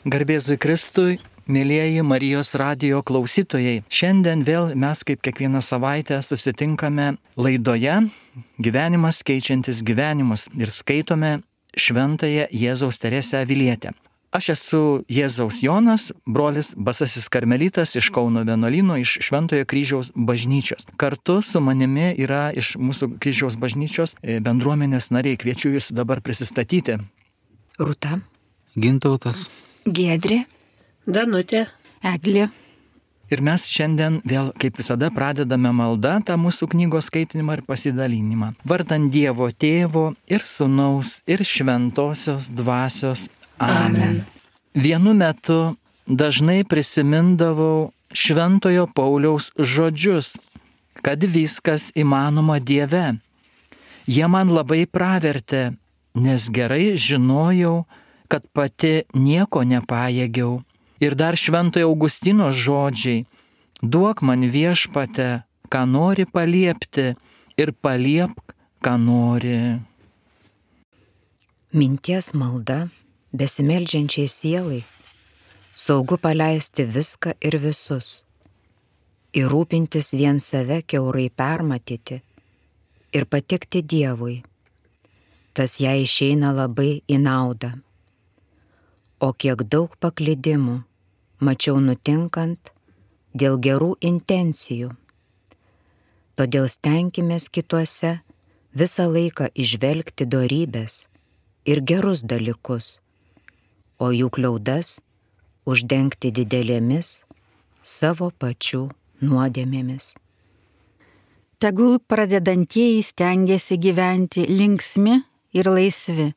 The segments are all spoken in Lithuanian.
Garbėzui Kristui, mėlyjeji Marijos radijo klausytojai. Šiandien vėl mes kaip kiekvieną savaitę susitinkame laidoje Gyvenimas keičiantis gyvenimus ir skaitome Šventąją Jėzaus Teresę Avilietę. Aš esu Jėzaus Jonas, brolis Basasis Karmelitas iš Kauno vienuolyno, iš Šventojo Kryžiaus bažnyčios. Kartu su manimi yra iš mūsų Kryžiaus bažnyčios bendruomenės nariai. Kviečiu jūs dabar prisistatyti. Rūta. Gintautas. Giedrė. Danutė. Eglė. Ir mes šiandien vėl, kaip visada, pradedame maldą tą mūsų knygos skaitinimą ir pasidalinimą. Vardant Dievo Tėvo ir Sūnaus ir Šventosios Dvasios. Amen. Vienu metu dažnai prisimindavau Šventojo Pauliaus žodžius, kad viskas įmanoma Dieve. Jie man labai pravertė, nes gerai žinojau, kad pati nieko nepajėgiau. Ir dar Šventojo Augustino žodžiai: duok man Viešpate, ką nori paliepti, ir paliepk, ką nori. Minties malda besimeldžiančiai sielai, saugu paleisti viską ir visus, ir rūpintis vien save kiaurai permatyti ir patikti Dievui. Tas jai išeina labai į naudą. O kiek daug paklydimų mačiau nutinkant dėl gerų intencijų. Todėl stenkimės kituose visą laiką įžvelgti dorybės ir gerus dalykus, o jų kliaudas uždengti didelėmis savo pačių nuodėmėmis. Tegul pradedantieji stengiasi gyventi linksmi ir laisvi,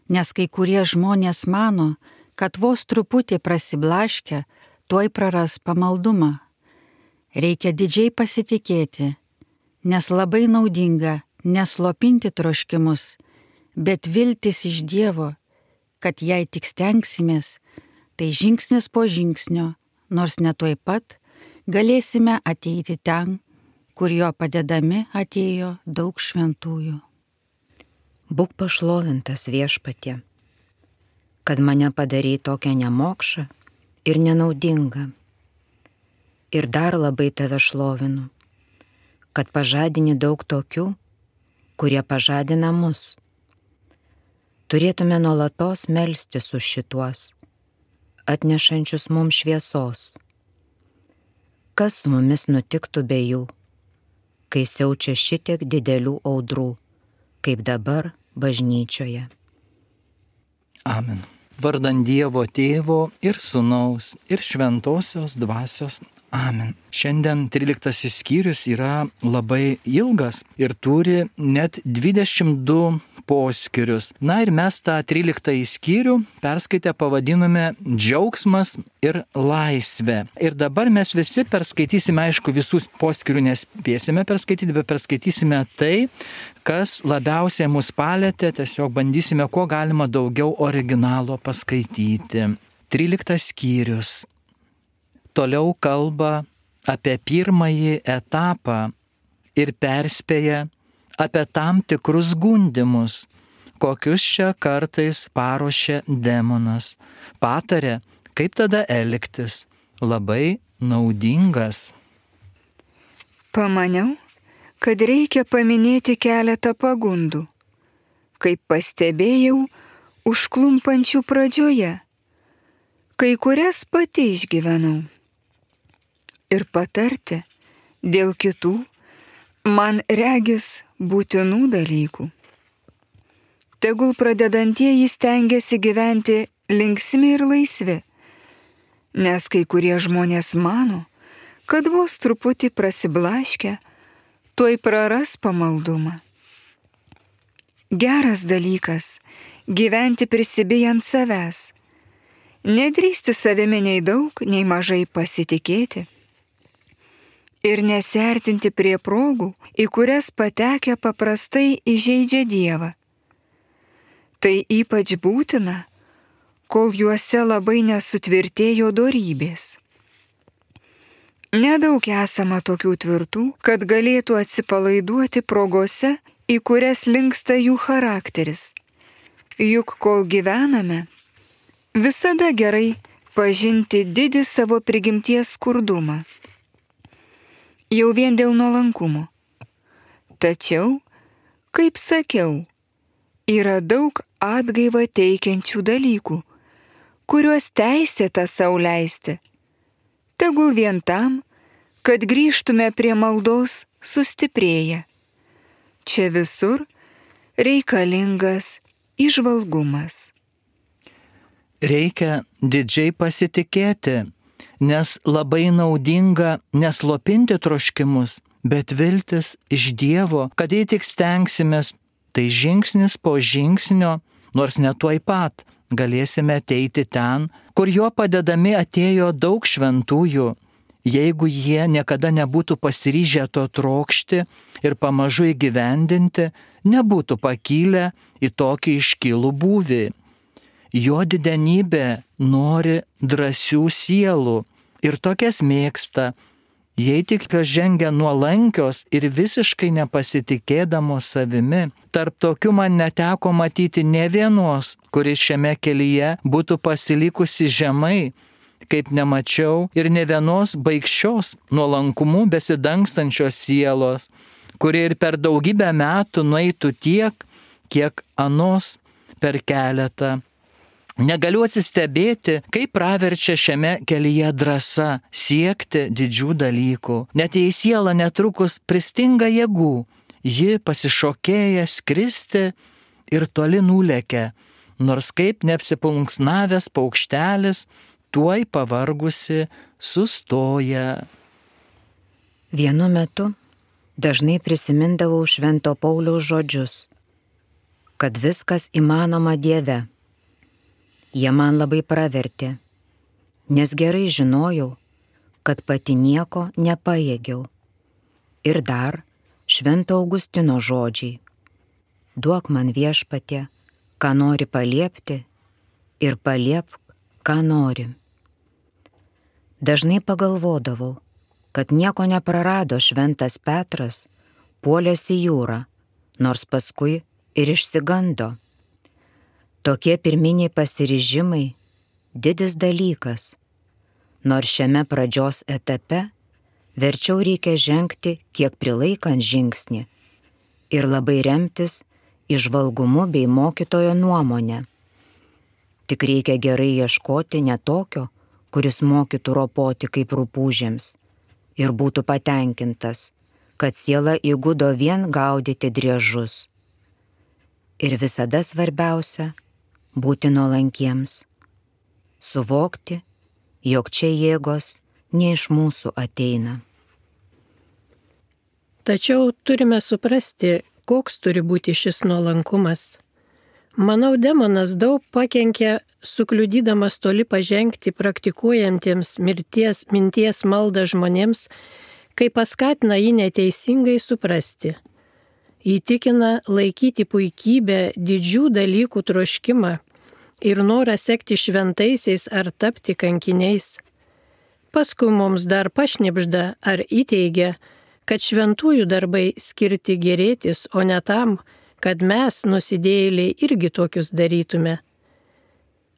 nes kai kurie žmonės mano, kad vos truputį prasiblaškę, tuoj praras pamaldumą. Reikia didžiai pasitikėti, nes labai naudinga neslopinti troškimus, bet viltis iš Dievo, kad jei tik stengsimės, tai žingsnis po žingsnio, nors ne tuoj pat, galėsime ateiti ten, kur jo padedami atėjo daug šventųjų. Būk pašlovintas Viešpatie, kad mane padarei tokią nemokšą ir nenaudingą. Ir dar labai tave šlovinu, kad pažadini daug tokių, kurie pažadina mus. Turėtume nuolatos melstis už šituos, atnešančius mums šviesos. Kas su mumis nutiktų be jų, kai siaučia šitiek didelių audrų, kaip dabar bažnyčioje. Amen. Vardant Dievo Tėvo ir Sūnaus ir Šventosios Dvasios. Amen. Šiandien 13 skyrius yra labai ilgas ir turi net 22 poskyrius. Na ir mes tą 13 skyrių perskaitę pavadinome Džiaugsmas ir laisvė. Ir dabar mes visi perskaitysime, aišku, visus poskyrių nespėsime perskaityti, bet perskaitysime tai, kas labiausiai mus palėtė, tiesiog bandysime kuo galima daugiau originalo paskaityti. 13 skyrius. Toliau kalba apie pirmąjį etapą ir perspėja apie tam tikrus gundymus, kokius čia kartais paruošia demonas. Patarė, kaip tada elgtis. Labai naudingas. Pamaniau, kad reikia paminėti keletą pagundų, kaip pastebėjau užklumpančių pradžioje, kai kurias pati išgyvenau. Ir patarti dėl kitų, man regis būtinų dalykų. Tegul pradedantieji stengiasi gyventi linksmi ir laisvi, nes kai kurie žmonės mano, kad vos truputį prasiblaškę, tuoj praras pamaldumą. Geras dalykas gyventi prisibijant savęs, nedrįsti savimi nei daug, nei mažai pasitikėti ir nesertinti prie progų, į kurias patekę paprastai įžeidžia Dievą. Tai ypač būtina, kol juose labai nesutvirtėjo dorybės. Nedaug esama tokių tvirtų, kad galėtų atsipalaiduoti progose, į kurias linksta jų charakteris. Juk kol gyvename, visada gerai atpažinti didį savo prigimties skurdumą. Jau vien dėl nuolankumo. Tačiau, kaip sakiau, yra daug atgaivą teikiančių dalykų, kuriuos teisėta sau leisti. Tegul vien tam, kad grįžtume prie maldos sustiprėję. Čia visur reikalingas įžvalgumas. Reikia didžiai pasitikėti, nes labai naudinga neslopinti troškimus, bet viltis iš Dievo, kad jei tik stengsimės, tai žingsnis po žingsnio, nors ne tuoj pat, galėsime ateiti ten, kur jo padedami atėjo daug šventųjų, jeigu jie niekada nebūtų pasiryžę to trokšti ir pamažu įgyvendinti, nebūtų pakilę į tokį iškilų būvį. Jo didenybė nori drąsių sielų ir tokias mėgsta, jei tik jos žengia nuolankios ir visiškai nepasitikėdamos savimi. Tarp tokių man neteko matyti ne vienos, kuris šiame kelyje būtų pasilikusi žemai, kaip nemačiau ir ne vienos baikščios nuolankumu besidangstančios sielos, kuri ir per daugybę metų nueitų tiek, kiek anos per keletą. Negaliu atsistebėti, kaip praverčia šiame kelyje drąsa siekti didžių dalykų. Net jei siela netrukus pristinga jėgų, ji pasišokėja skristi ir toli nulekia, nors kaip neapsiplunksnavęs paukštelis, tuoj pavargusi sustoja. Vienu metu dažnai prisimindavau Švento Pauliaus žodžius, kad viskas įmanoma Dieve. Jie man labai pravertė, nes gerai žinojau, kad pati nieko nepajėgiau. Ir dar Švento Augustino žodžiai: duok man Viešpatie, ką nori paliepti, ir paliepk, ką nori. Dažnai pagalvodavau, kad nieko neprarado Šventas Petras, puolęs į jūrą, nors paskui ir išsigando. Tokie pirminiai pasiryžimai didis dalykas, nors šiame pradžios etape verčiau reikia žengti kiek prilaikant žingsnį ir labai remtis įžvalgumu bei mokytojo nuomonę. Tik reikia gerai ieškoti ne tokio, kuris mokytų ropoti kaip rupūžėms ir būtų patenkintas, kad siela įgudo vien gaudyti driežus. Ir visada svarbiausia – būti nuolankiems, suvokti, jog čia jėgos ne iš mūsų ateina. Tačiau turime suprasti, koks turi būti šis nuolankumas. Manau, demonas daug pakenkia, sukliudydamas toli pažengti praktikuojantiems minties maldą žmonėms, kai paskatina jį neteisingai suprasti. Įtikina laikyti puikybę, didžių dalykų troškimą ir norą sekti šventaisiais ar tapti kankiniais. Paskui mums dar pašnibžda ar įteigia, kad šventųjų darbai skirti gerėtis, o ne tam, kad mes, nusidėjėliai, irgi tokius darytume.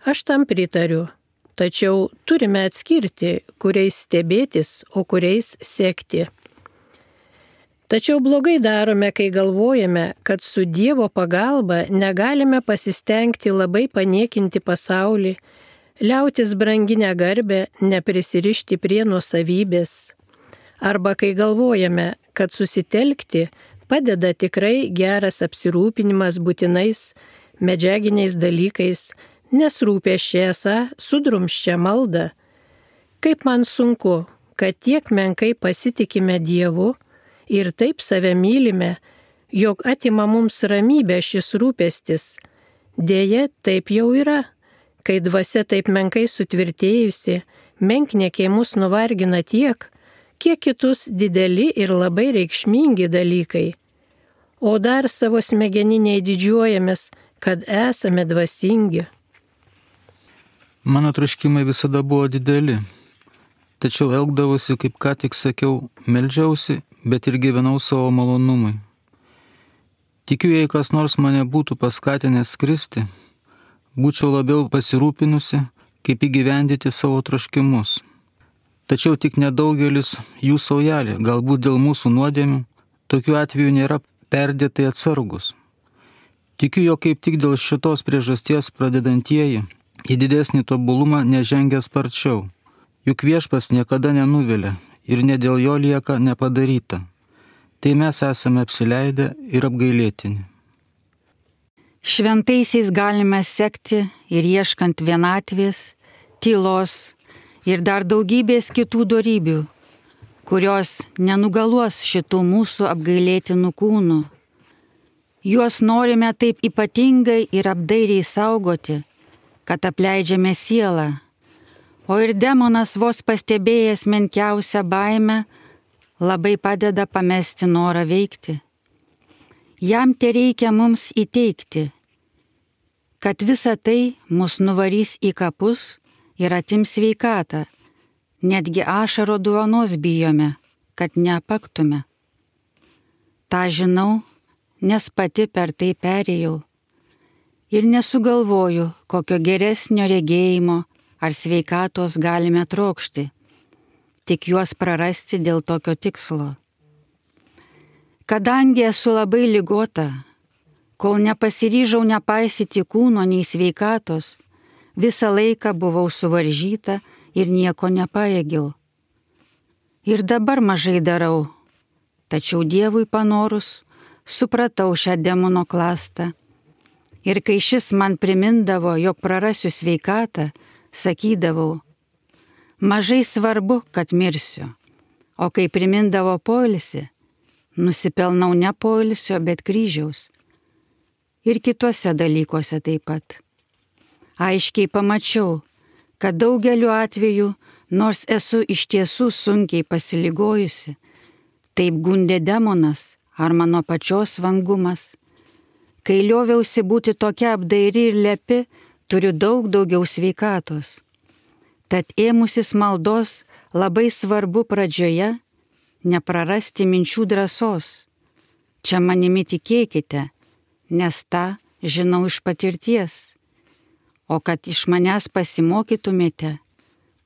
Aš tam pritariu, tačiau turime atskirti, kuriais stebėtis, o kuriais sekti. Tačiau blogai darome, kai galvojame, kad su Dievo pagalba negalime pasistengti labai paniekinti pasaulį, liautis branginę garbę, neprisirišti prie nuosavybės. Arba kai galvojame, kad susitelkti padeda tikrai geras apsirūpinimas būtinais medžiaginiais dalykais, nes rūpesčiai esą sudrumsčia maldą. Kaip man sunku, kad tiek menkai pasitikime Dievu, ir taip save mylime, jog atima mums ramybę šis rūpestis. Deja, taip jau yra, kai dvasia taip menkai sutvirtėjusi, menkniekiai mus nuvargina tiek, kiek kitus dideli ir labai reikšmingi dalykai. O dar savo smegeniniai didžiuojamės, kad esame dvasingi. Mano troškimai visada buvo dideli, tačiau elgdavausi, kaip ką tik sakiau, meldžiausi, bet ir gyvenau savo malonumui. Tikiu, jei kas nors mane būtų paskatinęs skristi, būčiau labiau pasirūpinusi, kaip įgyvendyti savo troškimus. Tačiau tik nedaugelis jų saujelė, galbūt dėl mūsų nuodėmių, tokiu atveju nėra perdėtai atsargus. Tikiu, jog kaip tik dėl šitos priežasties pradedantieji į didesnį tobulumą nežengia sparčiau. Juk Viešpats niekada nenuvilia ir ne dėl jo lieka nepadaryta. Tai mes esame apsileidę ir apgailėtini. Šventaisiais galime sekti ir ieškant vienatvės, tylos ir dar daugybės kitų dorybių, kurios nenugaluos šitų mūsų apgailėtinų kūnų. Juos norime taip ypatingai ir apdairiai saugoti, kad apleidžiame sielą, o ir demonas vos pastebėjęs menkiausią baimę labai padeda pamesti norą veikti. Jam tereikia mums įteikti, kad visa tai mus nuvarys į kapus ir atims sveikatą, netgi ašaro duonos bijome, kad neapaktume. Ta žinau, nes pati per tai perėjau ir nesugalvoju, kokio geresnio regėjimo ar sveikatos galime trokšti, tik juos prarasti dėl tokio tikslo. Kadangi esu labai ligota, kol nepasiryžau nepaisyti kūno nei sveikatos, visą laiką buvau suvaržyta ir nieko nepajėgiau. Ir dabar mažai darau, tačiau Dievui panorus supratau šią demono klastą. Ir kai šis man primindavo, jog prarasiu sveikatą, sakydavau, mažai svarbu, kad mirsiu, o kai primindavo poilsį, nusipelnau ne poilsio, bet kryžiaus. Ir kituose dalykuose taip pat. Aiškiai pamačiau, kad daugeliu atveju, nors esu iš tiesų sunkiai pasiligojusi, taip gundė demonas ar mano pačios vangumas. Kai lioviausi būti tokia apdairi ir lepi, turiu daug daugiau sveikatos. Tad ėmusis maldos labai svarbu pradžioje neprarasti minčių drąsos. Čia manimi tikėkite, nes tą žinau iš patirties. O kad iš manęs pasimokytumėte,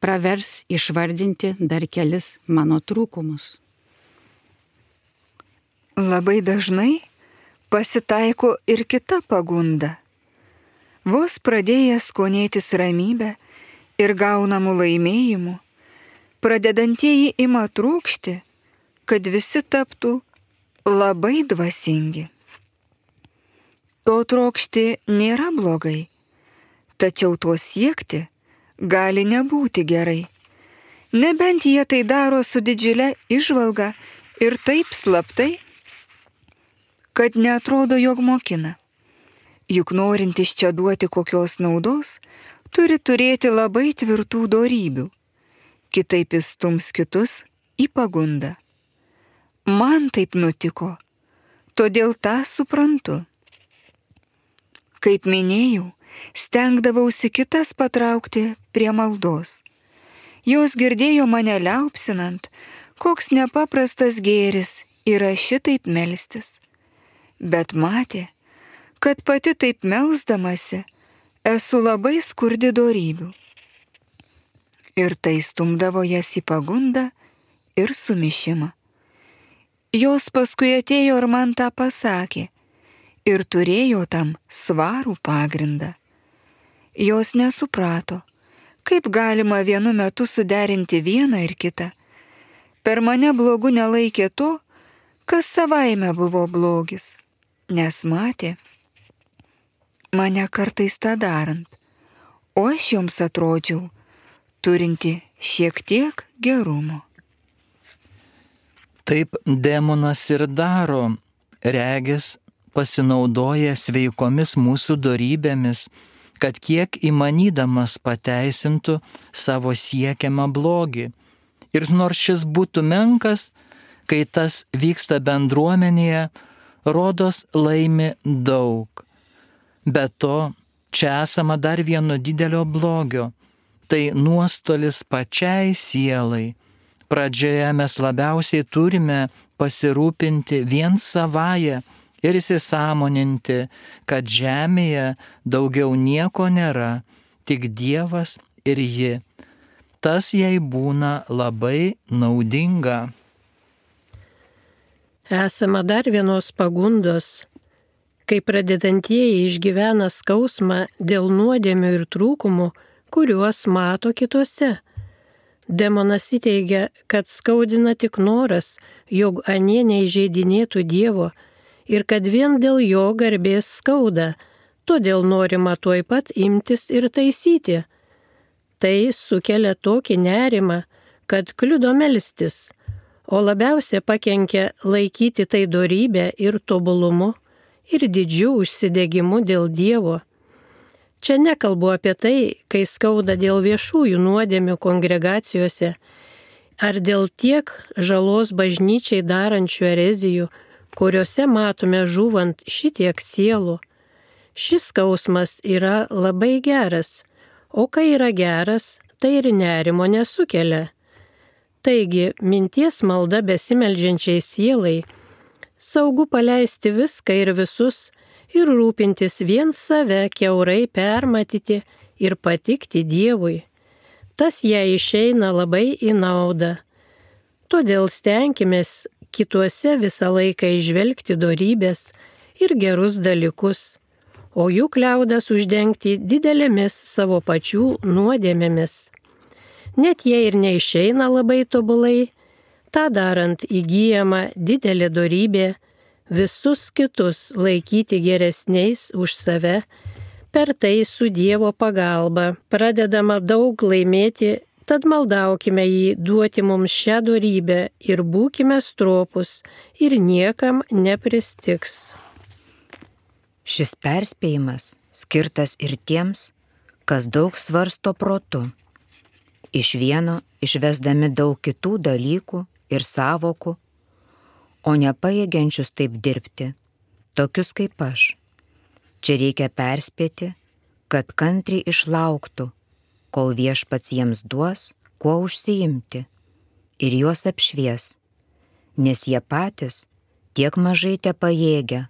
pravers išvardinti dar kelis mano trūkumus. Labai dažnai pasitaiko ir kita pagunda. Vos pradėjęs skonėtis ramybę ir gaunamų laimėjimų, pradedantieji ima trūkšti, kad visi taptų labai dvasingi. To trokšti nėra blogai, tačiau to siekti gali nebūti gerai, nebent jie tai daro su didžiulė įžvalga ir taip slaptai, kad neatrodo, jog mokina. Juk norintis čia duoti kokios naudos, turi turėti labai tvirtų dorybių, kitaip įstums kitus į pagundą. Man taip nutiko, todėl tą suprantu. Kaip minėjau, stengdavausi kitas patraukti prie maldos. Jos girdėjo mane liaupsinant, koks nepaprastas gėris yra šitaip melstis. Bet matė, kad pati taip melsdamasi esu labai skurdi dorybių. Ir tai stumdavo jas į pagundą ir sumišimą. Jos paskui atėjo ir man tą pasakė ir turėjo tam svarų pagrindą. Jos nesuprato, kaip galima vienu metu suderinti vieną ir kitą. Per mane blogu nelaikė to, kas savaime buvo blogis, nes matė mane kartais tą darant, o aš joms atrodžiau turinti šiek tiek gerumo. Taip demonas ir daro, regis pasinaudoja sveikomis mūsų dorybėmis, kad kiek įmanydamas pateisintų savo siekiamą blogį. Ir nors šis būtų menkas, kai tas vyksta bendruomenėje, rodos laimi daug. Be to, čia esama dar vieno didelio blogio – tai nuostolis pačiai sielai. Pradžioje mes labiausiai turime pasirūpinti vien savaja ir įsisąmoninti, kad žemėje daugiau nieko nėra, tik Dievas ir ji. Tas jai būna labai naudinga. Esama dar vienos pagundos, kai pradedantieji išgyvena skausmą dėl nuodėmių ir trūkumų, kuriuos mato kitose. Demonas įteigia, kad skaudina tik noras, jog anie neįžeidinėtų Dievo ir kad vien dėl jo garbės skauda, todėl norima tuoj pat imtis ir taisyti. Tai sukelia tokį nerimą, kad kliudo melstis, o labiausia pakenkia laikyti tai dorybę ir tobulumu ir didžiu užsidegimu dėl Dievo. Čia nekalbu apie tai, kai skauda dėl viešųjų nuodėmių kongregacijose ar dėl tiek žalos bažnyčiai darančių erezijų, kuriuose matome žūvant šitiek sielų. Šis skausmas yra labai geras, o kai yra geras, tai ir nerimo nesukelia. Taigi, minties malda besimeldžiančiai sielai, saugu paleisti viską ir visus ir rūpintis vien save kiaurai permatyti ir patikti Dievui. Tas jai išeina labai į naudą. Todėl stenkimės kituose visą laiką įžvelgti dorybės ir gerus dalykus, o jų kliaudas uždengti didelėmis savo pačių nuodėmėmis. Net jei ir neišeina labai tobulai, tą darant įgyjama didelė dorybė, visus kitus laikyti geresniais už save, per tai su Dievo pagalba pradedama daug laimėti, tad maldaukime jį duoti mums šią dorybę ir būkime stropus ir niekam nepristigs. Šis perspėjimas skirtas ir tiems, kas daug svarsto protu, iš vieno išvesdami daug kitų dalykų ir sąvokų, o nepajėgiančius taip dirbti, tokius kaip aš. Čia reikia perspėti, kad kantriai išlauktų, kol Viešpats jiems duos, kuo užsiimti, ir juos apšvies, nes jie patys tiek mažai tepajėgia,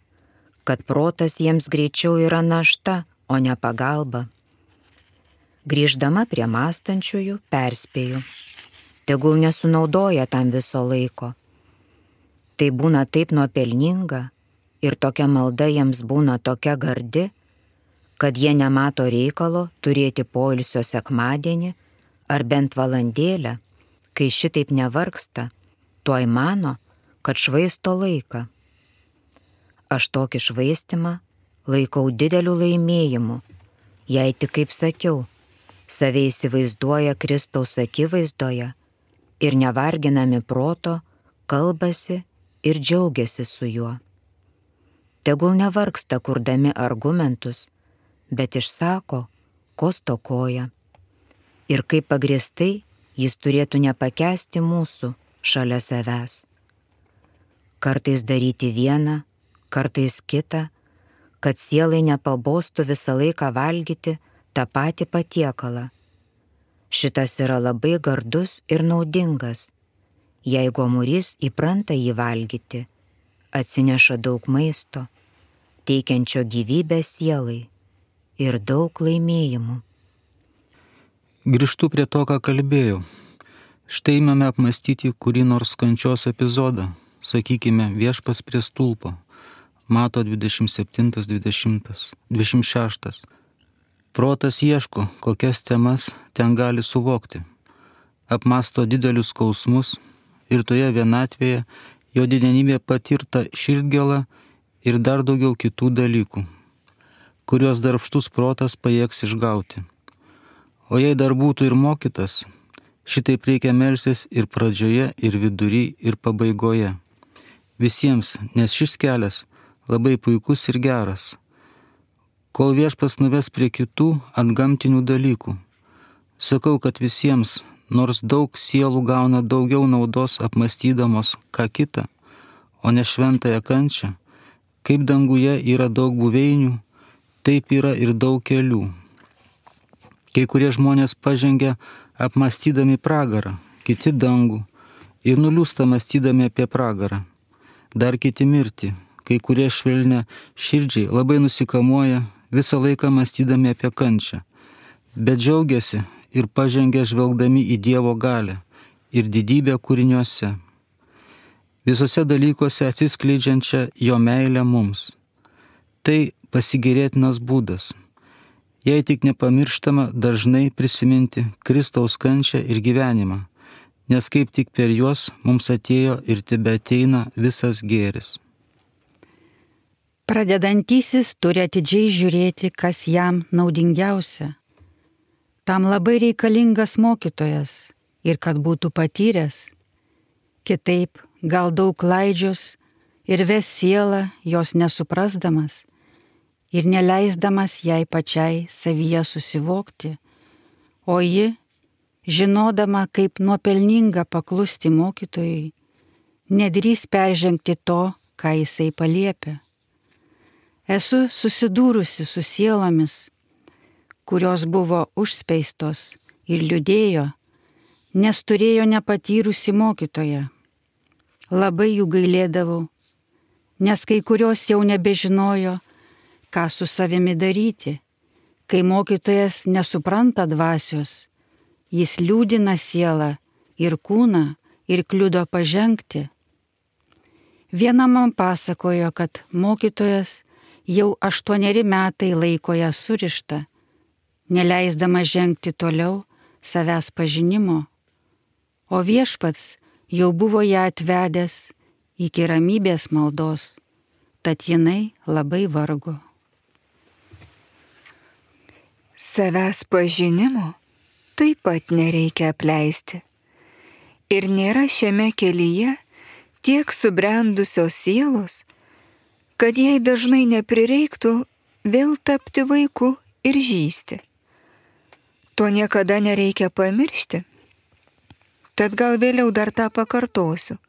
kad protas jiems greičiau yra našta, o ne pagalba. Grįždama prie mąstančiųjų, perspėju, tegul nesunaudoja tam viso laiko. Tai būna taip nuopelninga ir tokia malda jiems būna tokia gardi, kad jie nemato reikalo turėti poilsio sekmadienį ar bent valandėlę, kai šitaip nevargsta, tuoj mano, kad švaisto laiką. Aš tokį švaistimą laikau dideliu laimėjimu, jei tik, kaip sakiau, save įsivaizduoja Kristaus akivaizdoje ir nevarginami proto kalbasi ir džiaugiasi su juo. Tegul nevargsta kurdami argumentus, bet išsako, ko stokoja. Ir kaip pagrįstai jis turėtų nepakęsti mūsų šalia savęs. Kartais daryti vieną, kartais kitą, kad sielai nepabostų visą laiką valgyti tą patį patiekalą. Šitas yra labai gardus ir naudingas. Jei gomurys įpranta jį valgyti, atsineša daug maisto, teikiančio gyvybę sielai ir daug laimėjimų. Grįžtu prie to, ką kalbėjau. Štai imame apmastyti kurį nors kančios epizodą, sakykime, Viešpats prie stulpo, Mato 27-26. Protas ieško, kokias temas ten gali suvokti. Apmasto didelius skausmus ir toje vienatvėje jo didenybė patirta širdgėla ir dar daugiau kitų dalykų, kuriuos darbštus protas pajėgs išgauti. O jei dar būtų ir mokytas, šitaip reikia melstis ir pradžioje, ir vidury, ir pabaigoje. Visiems, nes šis kelias labai puikus ir geras, kol Viešpats nuves prie kitų antgamtinių dalykų. Sakau, kad visiems, nors daug sielų gauna daugiau naudos apmastydamos ką kitą, o ne šventąją kančią, kaip danguje yra daug buveinių, taip yra ir daug kelių. Kai kurie žmonės pažengia apmastydami pragarą, kiti dangų ir nuliūsta mąstydami apie pragarą. Dar kiti mirtį, kai kurie švelnia širdžiai labai nusikamuoja, visą laiką mąstydami apie kančią, bet džiaugiasi ir pažengia žvelgdami į Dievo galią ir didybę kūriniuose, visose dalykuose atsiskleidžiančią jo meilę mums. Tai pasigėrėtinas būdas, jei tik nepamirštama dažnai prisiminti Kristaus kančią ir gyvenimą, nes kaip tik per juos mums atėjo ir tebeateina visas gėris. Pradedantysis turi atidžiai žiūrėti, kas jam naudingiausia. Tam labai reikalingas mokytojas ir kad būtų patyręs. Kitaip gal daug klaidžios ir ves sielą jos nesuprasdamas ir neleisdamas jai pačiai savyje susivokti, o ji, žinodama, kaip nuopelninga paklusti mokytojui, nedrįs peržengti to, ką jisai paliepia. Esu susidūrusi su sielomis, kurios buvo užspeistos ir liūdėjo, nes turėjo nepatyrusi mokytoją. Labai jų gailėdavau, nes kai kurios jau nebežinojo, ką su savimi daryti, kai mokytojas nesupranta dvasios, jis liūdina sielą ir kūną ir kliudo pažengti. Viena man pasakojo, kad mokytojas jau 8 metai laiko ją surištą, neleisdama žengti toliau savęs pažinimo, o viešpats jau buvo ją atvedęs iki ramybės maldos, tad jinai labai vargo. Savęs pažinimo taip pat nereikia apleisti. Ir nėra šiame kelyje tiek subrendusios sielos, kad jai dažnai neprireiktų vėl tapti vaiku ir žysti. To niekada nereikia pamiršti. Tad gal vėliau dar tą pakartosiu,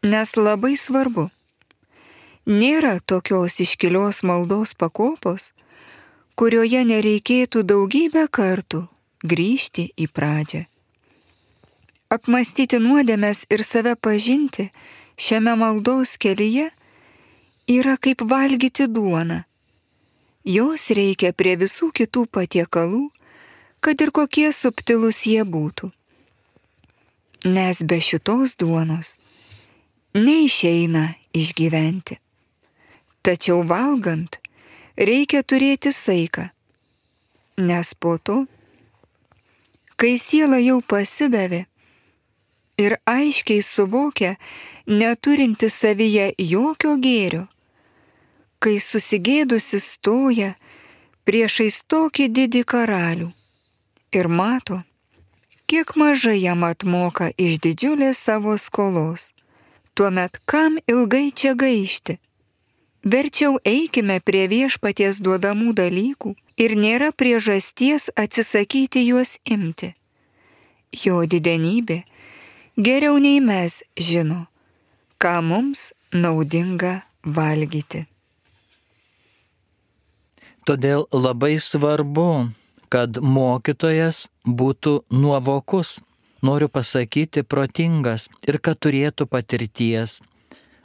nes labai svarbu. Nėra tokios iškilios maldos pakopos, kurioje nereikėtų daugybę kartų grįžti į pradžią. Apmąstyti nuodėmes ir save pažinti šiame maldos kelyje yra kaip valgyti duoną. Jos reikia prie visų kitų patiekalų, kad ir kokie subtilūs jie būtų. Nes be šitos duonos neišeina išgyventi. Tačiau valgant reikia turėti saiką, nes po to, kai siela jau pasidavė ir aiškiai suvokia, neturinti savyje jokio gėrio, kai susigėdusi stoja priešais tokį didį karalių ir mato, kiek mažai jam atmoka iš didžiulės savo skolos, tuomet kam ilgai čia gaišti? Verčiau eikime prie viešpaties duodamų dalykų ir nėra priežasties atsisakyti juos imti. Jo didenybė geriau nei mes žino, ką mums naudinga valgyti. Todėl labai svarbu, kad mokytojas būtų nuovokus, noriu pasakyti protingas ir kad turėtų patirties.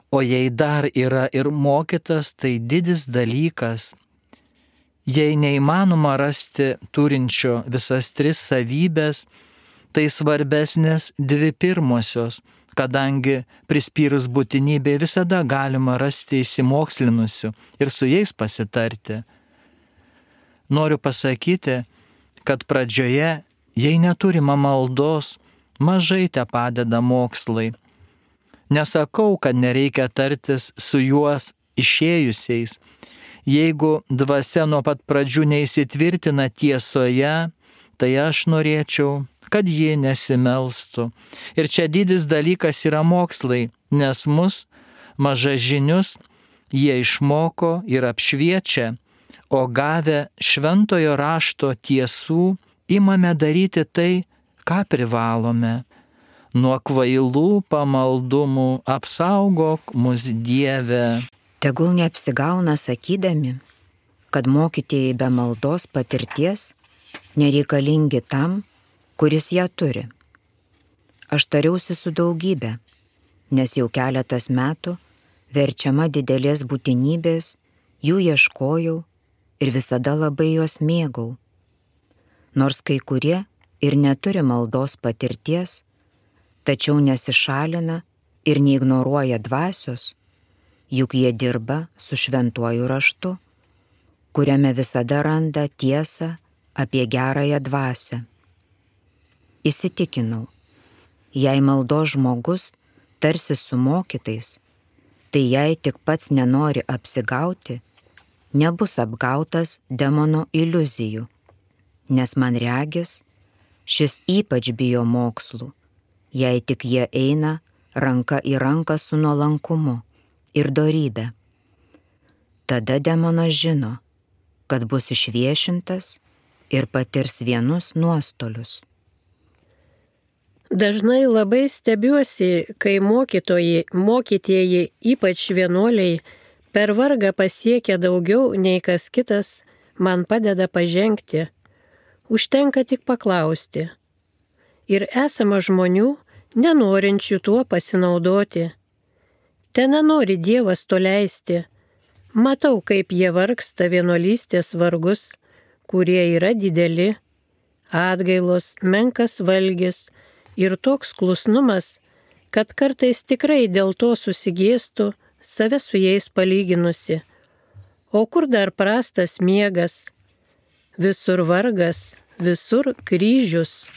O jei dar yra ir mokytas, tai didis dalykas. Jei neįmanoma rasti turinčio visas 3 savybės, tai svarbesnės 2 pirmosios, kadangi prispyrus būtinybė visada galima rasti įsimokslinusių ir su jais pasitarti. Noriu pasakyti, kad pradžioje, jei neturima maldos, mažai te padeda mokslai. Nesakau, kad nereikia tartis su juos išėjusiais. Jeigu dvasia nuo pat pradžių neįsitvirtina tiesoje, tai aš norėčiau, kad ji nesimelstų. Ir čia didis dalykas yra mokslai, nes mus, mažažinius, jie išmoko ir apšviečia, o gavę šventojo rašto tiesų, imame daryti tai, ką privalome. Nuo kvailų pamaldumų apsaugok mus Dieve. Tegul neapsigauna sakydami, kad mokytieji be maldos patirties nereikalingi tam, kuris ją turi. Aš tariausi su daugybė, nes jau keletas metų, verčiama didelės būtinybės, jų ieškojau ir visada labai juos mėgau. Nors kai kurie ir neturi maldos patirties, tačiau nesišalina ir neignoruoja dvasios, juk jie dirba su šventuoju raštu, kuriame visada randa tiesą apie gerąją dvasią. Įsitikinau, jei maldos žmogus tarsi su mokytais, tai jei tik pats nenori apsigauti, nebus apgautas demono iliuzijų, nes man regis, šis ypač bijo mokslų, jei tik jie eina ranka į ranką su nuolankumu ir dorybe. Tada demonas žino, kad bus išviešintas ir patirs vienus nuostolius. Dažnai labai stebiuosi, kai mokytieji, ypač vienuoliai, per vargą pasiekia daugiau nei kas kitas, man padeda pažengti. Užtenka tik paklausti. Ir esama žmonių, nenorinčių tuo pasinaudoti. Ten nenori Dievas to leisti. Matau, kaip jie vargsta vienuolystės vargus, kurie yra dideli, atgailos, menkas valgis ir toks klusnumas, kad kartais tikrai dėl to susigėstų, save su jais palyginusi. O kur dar prastas miegas? Visur vargas, visur kryžius.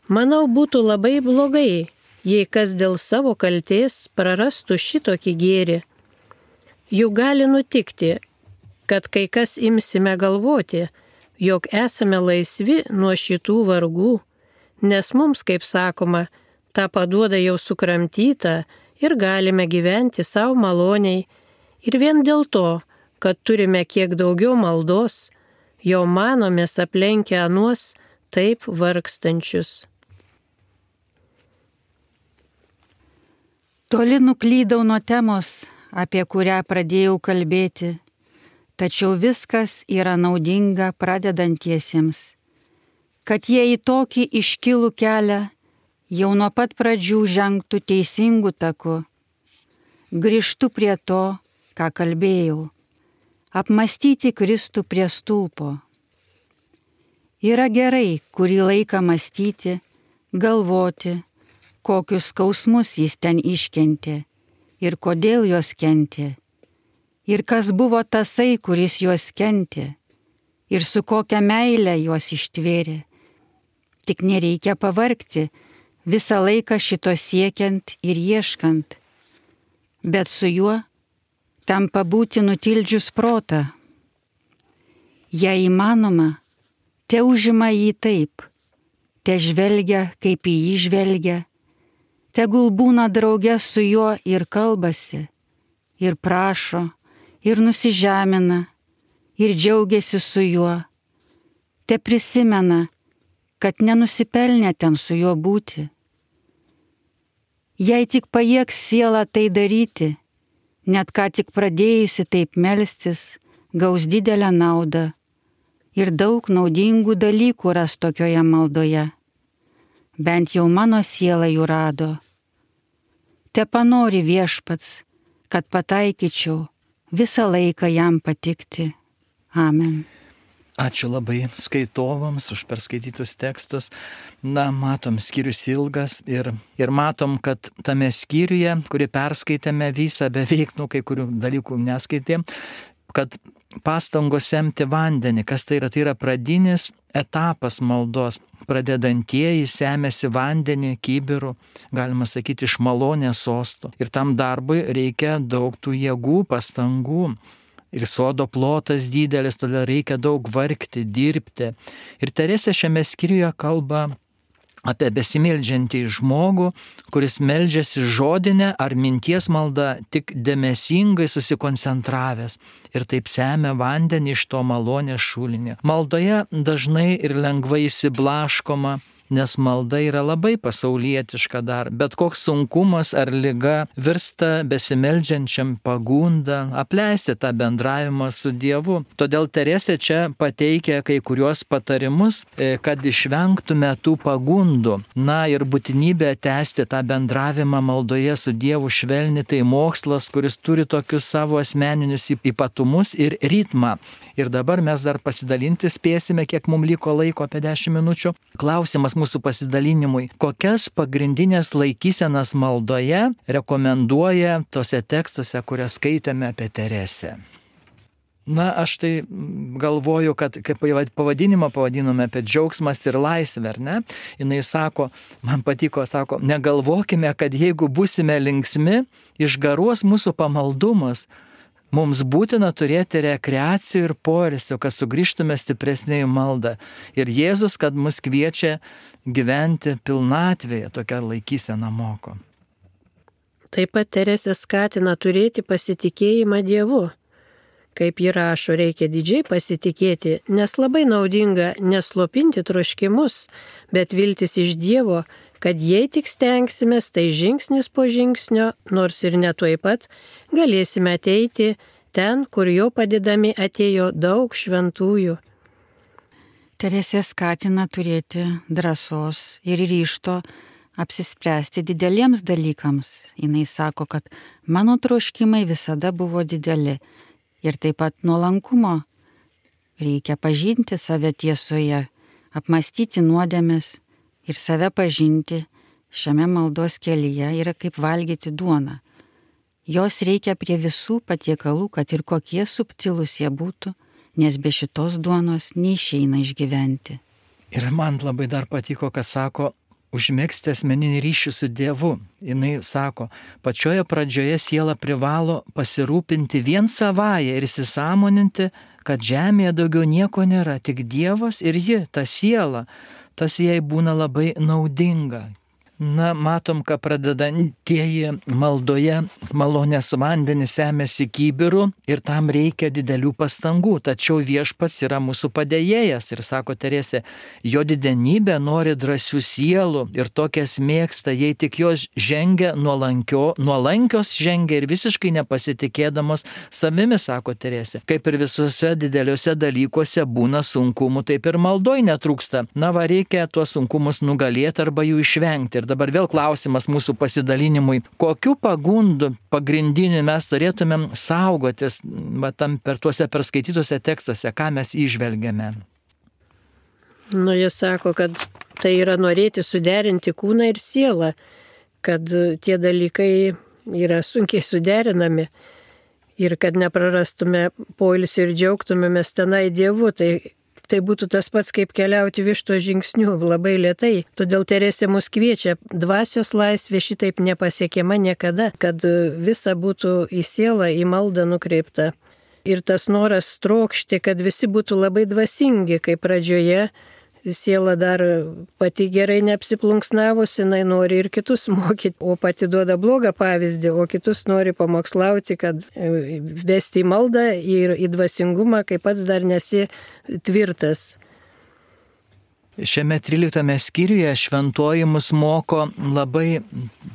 Manau, būtų labai blogai, jei kas dėl savo kaltės prarastų šitokį gėrį. Juk gali nutikti, kad kai kas imsime galvoti, jog esame laisvi nuo šitų vargų, nes mums, kaip sakoma, tą paduoda jau sukramtyta ir galime gyventi savo maloniai. Ir vien dėl to, kad turime kiek daugiau maldos, jau manomės aplenkę anuos taip vargstančius. Toli nuklydau nuo temos, apie kurią pradėjau kalbėti, tačiau viskas yra naudinga pradedantiesiems, kad jie į tokį iškilų kelią jau nuo pat pradžių žengtų teisingų taku. Grįžtu prie to, ką kalbėjau, apmąstyti Kristų prie stulpo. Yra gerai kurį laiką mąstyti, galvoti, kokius skausmus jis ten iškentė ir kodėl juos kentė, ir kas buvo tasai, kuris juos kentė, ir su kokia meile juos ištvėrė. Tik nereikia pavargti, visą laiką šito siekiant ir ieškant, bet su juo tampa būti nutildžius protą. Jei įmanoma, te užima jį taip, te žvelgia, kaip į jį žvelgia, tegul būna drauge su juo ir kalbasi, ir prašo, ir nusižemina, ir džiaugiasi su juo, te prisimena, kad nenusipelnė ten su juo būti. Jei tik pajėgs siela tai daryti, net ką tik pradėjusi taip melstis, gaus didelę naudą ir daug naudingų dalykų ras tokioje maldoje. Bent jau mano siela jų rado. Te panori Viešpats, kad pataikyčiau visą laiką jam patikti. Amen. Ačiū labai skaitovams už perskaitytus tekstus. Na, matom, skyrius ilgas ir matom, kad tame skyriuje, kurį perskaitėme visą beveik, kai kurių dalykų neskaitėm, kad pastangos semti vandenį, kas tai yra pradinis etapas maldos. Pradedantieji semėsi vandenį kibirų, galima sakyti, iš malonės sosto. Ir tam darbui reikia daug tų jėgų, pastangų. Ir sodo plotas didelis, todėl reikia daug vargti, dirbti. Ir Teresė šiame skyriuje kalba apie besimeldžiantį žmogų, kuris meldžiasi žodinę ar minties maldą tik dėmesingai susikoncentravęs ir taip semia vandenį iš to malonės šulinio. Maldoje dažnai ir lengvai įsiblaškoma, nes malda yra labai pasaulietiška dar. Bet koks sunkumas ar liga virsta besimeldžiančiam pagunda apleisti tą bendravimą su Dievu. Todėl Teresė čia pateikia kai kuriuos patarimus, kad išvengtume tų pagundų. Na ir būtinybė tęsti tą bendravimą maldoje su Dievu švelni, tai mokslas, kuris turi tokius savo asmeninius ypatumus ir ritmą. Ir dabar mes dar pasidalinti spėsime, kiek mums liko laiko, apie 10 minučių. Klausimas mūsų pasidalinimui. Kokias pagrindinės laikysenas maldoje rekomenduoja tose tekstuose, kurias skaitėme apie Teresę? Na, aš tai galvoju, kad kaip pavadinimą pavadinome apie džiaugsmas ir laisvę, ar ne? Jis sako, man patiko, sako, negalvokime, kad jeigu būsime linksmi, išgaruos mūsų pamaldumas. Mums būtina turėti rekreacijų ir poilsio, kad sugrįžtume stipresnė į maldą. Ir Jėzus, kad mus kviečia gyventi pilnatvėje, tokią laikyseną moko. Taip pat Teresė skatina turėti pasitikėjimą Dievu. Kaip ji rašo, reikia didžiai pasitikėti, nes labai naudinga neslopinti troškimus, bet viltis iš Dievo, kad jei tik stengsimės, tai žingsnis po žingsnio, nors ir ne tuoj pat, galėsime ateiti ten, kur jo padedami atėjo daug šventųjų. Teresė skatina turėti drąsos ir ryžto apsispręsti dideliems dalykams. Jis sako, kad mano troškimai visada buvo dideli. Ir taip pat nuolankumo. Reikia pažinti save tiesoje, apmastyti nuodėmes ir save pažinti šiame maldos kelyje yra kaip valgyti duoną. Jos reikia prie visų patiekalų, kad ir kokie subtilūs jie būtų, nes be šitos duonos neišeina išgyventi. Ir man labai dar patiko, kad sako, užmegzti asmeninį ryšį su Dievu. Jis sako, pačioje pradžioje siela privalo pasirūpinti vien savąją ir įsisąmoninti, kad žemėje daugiau nieko nėra, tik Dievas ir ji, ta siela, tas jai būna labai naudinga. Na, matom, kad pradedantieji maldoje malonės vandenį semiasi kibirų ir tam reikia didelių pastangų, tačiau viešpats yra mūsų padėjėjas ir sako Teresė, jo didenybė nori drąsių sielų ir tokias mėgsta, jei tik jos žengia nuolankios žengia ir visiškai nepasitikėdamos savimi, sako Teresė. Kaip ir visuose dideliuose dalykuose būna sunkumų, taip ir maldoj netrūksta. Na, reikia tuos sunkumus nugalėti arba jų išvengti. Ir dabar vėl klausimas mūsų pasidalinimui, kokiu pagundu pagrindiniu mes turėtumėm saugotis per tuose perskaitytuose tekstuose, ką mes įžvelgiame. Jie sako, kad tai yra norėti suderinti kūną ir sielą, kad tie dalykai yra sunkiai suderinami ir kad neprarastume poilsį ir džiaugtumėmės tenai Dievu. Tai būtų tas pats, kaip keliauti višto žingsnių labai lėtai. Todėl Teresė mus kviečia, dvasios laisvė šitaip nepasiekiama niekada, kad visa būtų į sielą, į maldą nukreipta. Ir tas noras trokšti, kad visi būtų labai dvasingi, kaip pradžioje siela dar pati gerai neapsiplunksnavusi, jinai nori ir kitus mokyti, o pati duoda blogą pavyzdį, o kitus nori pamokslauti, kad vesti į maldą ir į dvasingumą, kai pats dar nesi tvirtas. Šiame 13 skyriuje šventoji mus moko labai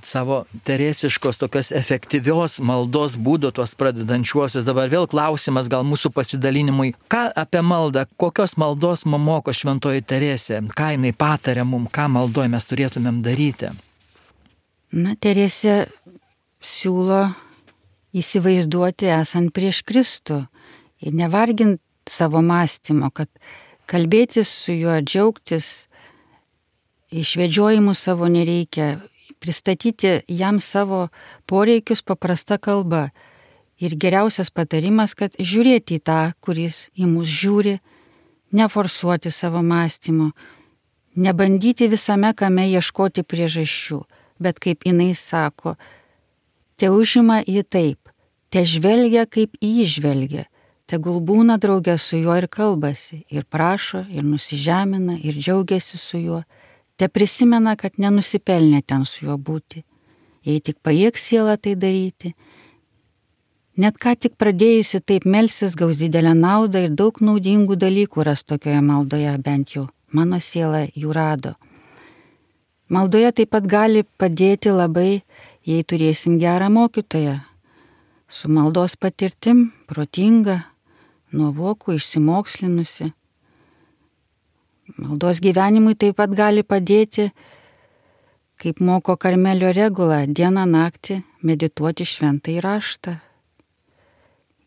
savo teresiškos tokios efektyvios maldos būdų, tuos pradedančiuosius. Dabar vėl klausimas gal mūsų pasidalinimui, ką apie maldą, kokios maldos mums moko šventoji Teresė, ką jinai patarė mums, ką maldoje mes turėtumėm daryti. Na, Teresė siūlo įsivaizduoti esant prieš Kristų ir nevargint savo mąstymo, kad kalbėtis su juo, džiaugtis, išvedžiojimų savo nereikia, pristatyti jam savo poreikius paprasta kalba. Ir geriausias patarimas, kad žiūrėti į tą, kuris į mus žiūri, neforsuoti savo mąstymo, nebandyti visame kame ieškoti priežasčių, bet kaip jinai sako, te užima jį taip, te žvelgia kaip į jį žvelgia. Tegul būna draugė su juo ir kalbasi, ir prašo, ir nusižemina, ir džiaugiasi su juo. Te prisimena, kad nenusipelnė ten su juo būti. Jei tik pajėgs siela tai daryti. Net ką tik pradėjusi taip melsis gaus didelę naudą ir daug naudingų dalykų ras tokioje maldoje, bent jau mano siela jų rado. Maldoje taip pat gali padėti labai, jei turėsim gerą mokytoją, su maldos patirtim, protinga, nuovokų, išsimokslinusi. Maldos gyvenimui taip pat gali padėti, kaip moko Karmelio regula, dieną naktį medituoti šventąjį raštą.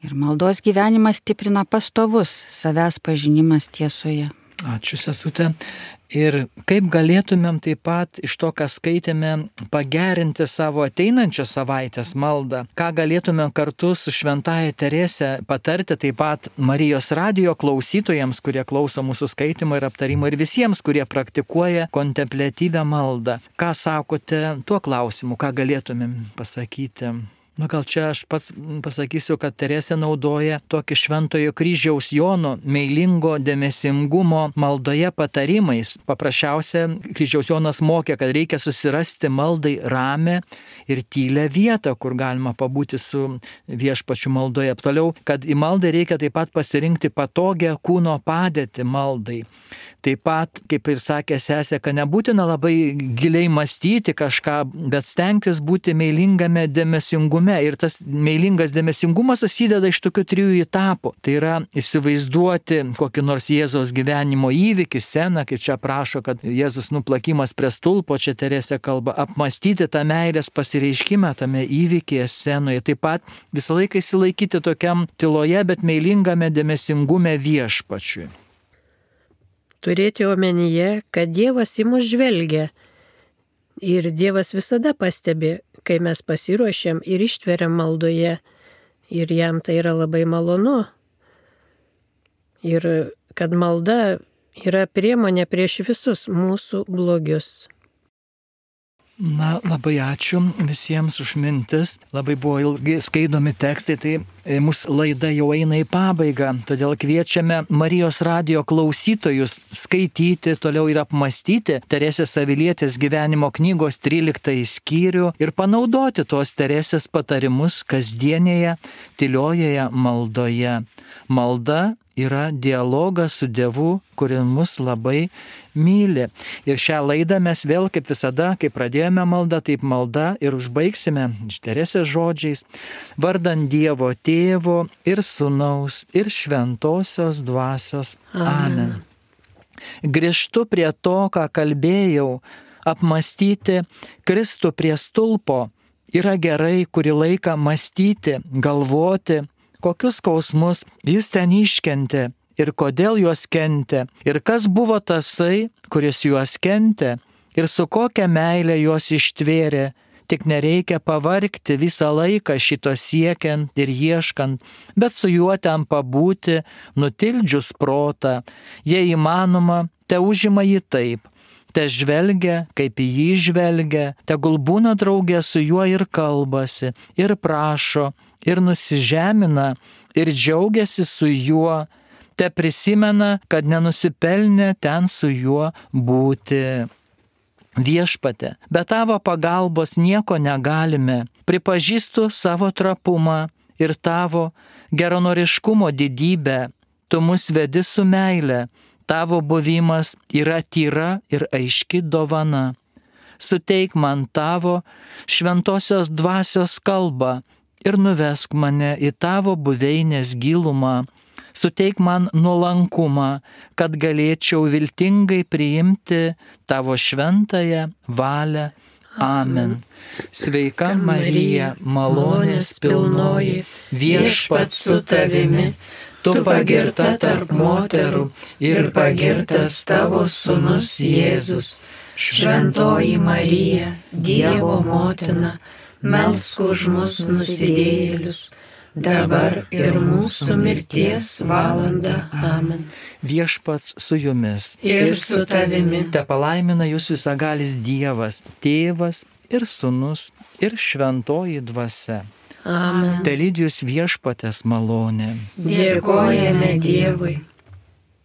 Ir maldos gyvenimas stiprina pastovus savęs pažinimas tiesoje. Ačiū, sesute. Ir kaip galėtumėm taip pat iš to, ką skaitėme, pagerinti savo ateinančią savaitės maldą, ką galėtumėm kartu su Šventaja Terese patarti taip pat Marijos radijo klausytojams, kurie klauso mūsų skaitimo ir aptarimo, ir visiems, kurie praktikuoja kontempliatyvią maldą. Ką sakote tuo klausimu, ką galėtumėm pasakyti? Gal čia aš pats pasakysiu, kad Teresė naudoja tokį Šventojo kryžiaus Jono meilingo dėmesingumo maldoje patarimais. Paprasčiausia, kryžiaus Jonas mokė, kad reikia susirasti maldai ramę ir tylę vietą, kur galima pabūti su viešpačiu maldoje. Toliau, kad į maldą reikia taip pat pasirinkti patogią kūno padėtį maldai. Taip pat, kaip ir sakė sesė, kad nebūtina labai giliai mąstyti kažką, bet stengtis būti meilingame dėmesingume. Ir tas meilingas dėmesingumas susideda iš tokių 3 etapų. Tai yra įsivaizduoti kokį nors Jėzaus gyvenimo įvykį, sceną, kaip čia prašo, kad Jėzus nuplakimas prie stulpo, čia Teresė kalba, apmastyti tą meilės pasireiškimą tame įvykyje, scenoje. Taip pat visą laiką įsilaikyti tokiam tyloje, bet meilingame dėmesingume viešpačiui. Turėti omenyje, kad Dievas į mus žvelgia ir Dievas visada pastebi, kai mes pasiruošiam ir ištveriam maldoje ir jam tai yra labai malonu. Ir kad malda yra priemonė prieš visus mūsų blogius. Na, labai ačiū visiems už mintis. Labai buvo ilgai skaidomi tekstai, tai mūsų laida jau eina į pabaigą. Todėl kviečiame Marijos radijo klausytojus skaityti, toliau ir apmastyti Teresės Avilietės gyvenimo knygos 13 skyrių ir panaudoti tuos Teresės patarimus kasdienėje, tyliojoje maldoje. Malda yra dialogas su Dievu, kuris mus labai myli. Ir šią laidą mes vėl, kaip visada, kai pradėjome maldą, taip malda ir užbaigsime Teresės žodžiais: vardan Dievo Tėvo ir Sūnaus ir Šventosios Dvasios. Amen. Grįžtu prie to, ką kalbėjau, apmastyti Kristų prie stulpo. Yra gerai kurį laiką mąstyti, galvoti, kokius skausmus jis ten iškentė ir kodėl juos kentė, ir kas buvo tasai, kuris juos kentė, ir su kokia meilė juos ištvėrė. Tik nereikia pavargti visą laiką šito siekiant ir ieškant, bet su juo ten pabūti, nutildžius protą. Jei įmanoma, te užima jį taip. Te žvelgia, kaip į jį žvelgia, tegul būna draugė su juo ir kalbasi, ir prašo, ir nusižemina, ir džiaugiasi su juo, te prisimena, kad nenusipelnė ten su juo būti. Viešpate, be tavo pagalbos nieko negalime. Pripažįstu savo trapumą ir tavo geranoriškumo didybę. Tu mus vedi su meile. Tavo buvimas yra tyra ir aiški dovana. Suteik man tavo šventosios dvasios kalbą ir nuvesk mane į tavo buveinės gilumą. Suteik man nuolankumą, kad galėčiau viltingai priimti tavo šventąją valią. Amen. Sveika Marija, malonės pilnoji, viešpats su tavimi. Tu pagirta tarp moterų ir pagirtas tavo sūnus Jėzus. Šventoji Marija, Dievo motina, melsk už mus nusidėjėlius, dabar ir mūsų mirties valanda. Amen. Viešpats su jumis. Ir su tavimi. Te palaimina jūs visagalis Dievas, Tėvas ir Sūnus ir Šventoji Dvasia. Amen. Te lydi jūs viešpaties malonė. Dėkojame Dievui.